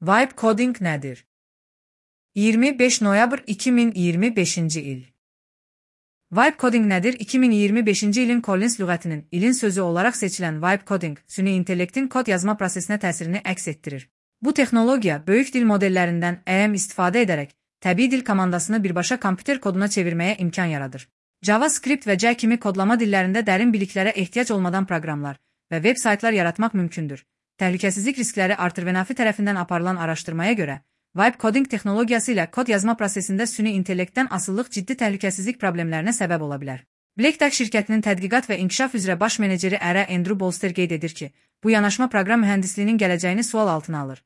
Vibe coding nədir? 25 noyabr 2025-ci il. Vibe coding nədir? 2025-ci ilin Collins lüğətinin ilin sözü olaraq seçilən vibe coding, süni intellektin kod yazma prosesinə təsirini əks etdirir. Bu texnologiya böyük dil modellərindən istifadə edərək təbii dil komandasını birbaşa kompüter koduna çevirməyə imkan yaradır. JavaScript və C kimi kodlama dillərində dərin biliklərə ehtiyac olmadan proqramlar və veb saytlar yaratmaq mümkündür. Təhlükəsizlik riskləri artır və NAFI tərəfindən aparılan araşdırmaya görə, vibe coding texnologiyası ilə kod yazma prosesində süni intellektdən asıllıq ciddi təhlükəsizlik problemlərinə səbəb ola bilər. Black Duck şirkətinin tədqiqat və inkişaf üzrə baş meneceri Andrew Bolster qeyd edir ki, bu yanaşma proqram mühəndisliyinin gələcəyini sual altına alır.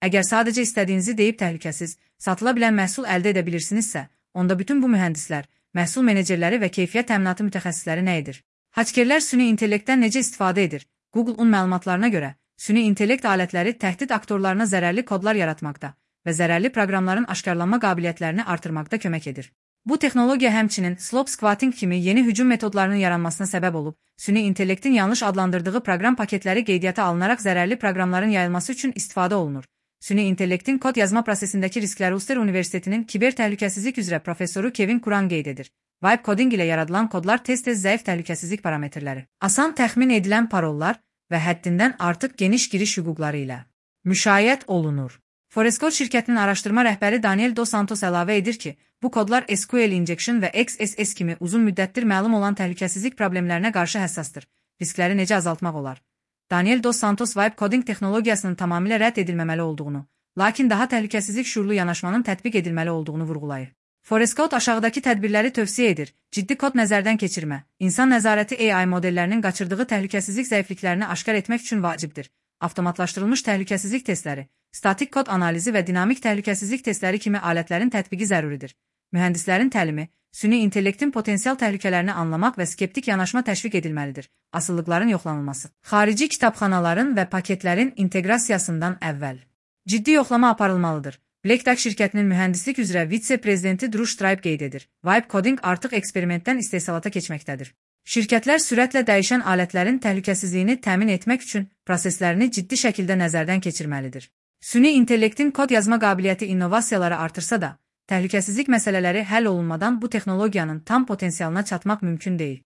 Əgər sadəcə istədiyinizi deyib təhlükəsiz, satıla bilən məhsul əldə edə bilirsinizsə, onda bütün bu mühəndislər, məhsul menecerləri və keyfiyyət təminatı mütəxəssisləri nə edir? Hakerlər süni intellektdən necə istifadə edir? Google-un məlumatlarına görə, süni intellekt alətləri təhdid aktorlarına zərərli kodlar yaratmaqda və zərərli proqramların aşkarlanma qabiliyyətlərini artırmaqda kömək edir. Bu texnologiya həmçinin slope squatting kimi yeni hücum metodlarının yaranmasına səbəb olub, süni intellektin yanlış adlandırdığı proqram paketləri qeydiyyata alınaraq zərərli proqramların yayılması üçün istifadə olunur. Süni intellektin kod yazma prosesindəki riskləri Ulster Universitetinin kiber təhlükəsizlik üzrə professoru Kevin Kuran qeyd edir. Vibe coding ilə yaradılan kodlar tez-tez zəif təhlükəsizlik parametrləri, asan təxmin edilən parollar və həddindən artıq geniş giriş hüquqları ilə müşayiət olunur. Forescore şirkətinin araşdırma rəhbəri Daniel Dos Santos əlavə edir ki, bu kodlar SQL injection və XSS kimi uzun müddətdir məlum olan təhlükəsizlik problemlərinə qarşı həssasdır. Riskləri necə azaltmaq olar? Daniel Dos Santos vibe coding texnologiyasının tamamilə rədd edilməməli olduğunu, lakin daha təhlükəsizlik şuurlu yanaşmanın tətbiq edilməli olduğunu vurğulayır. Forescode aşağıdakı tədbirləri tövsiyə edir. Ciddi kod nəzərdən keçirmə. İnsan nəzarəti AI modellərinin qaçırdığı təhlükəsizlik zəifliklərini aşkar etmək üçün vacibdir. Avtomatlaşdırılmış təhlükəsizlik testləri, statik kod analizi və dinamik təhlükəsizlik testləri kimi alətlərin tətbiqi zəruridir. Mühəndislərin təlimi, süni intellektin potensial təhlükələrini anlamaq və skeptik yanaşma təşviq edilməlidir. Asıllıqların yoxlanılması. Xarici kitabxanaların və paketlərin inteqrasiyasından əvvəl ciddi yoxlama aparılmalıdır. Black Duck şirkətinin mühəndislik üzrə vitse-prezidenti Drew Stripe qeyd edir. Vibe coding artıq eksperimentdən istehsalata keçməkdədir. Şirkətlər sürətlə dəyişən alətlərin təhlükəsizliyini təmin etmək üçün proseslərini ciddi şəkildə nəzərdən keçirməlidir. Süni intellektin kod yazma qabiliyyəti innovasiyaları artırsa da, təhlükəsizlik məsələləri həll olunmadan bu texnologiyanın tam potensialına çatmaq mümkün deyil.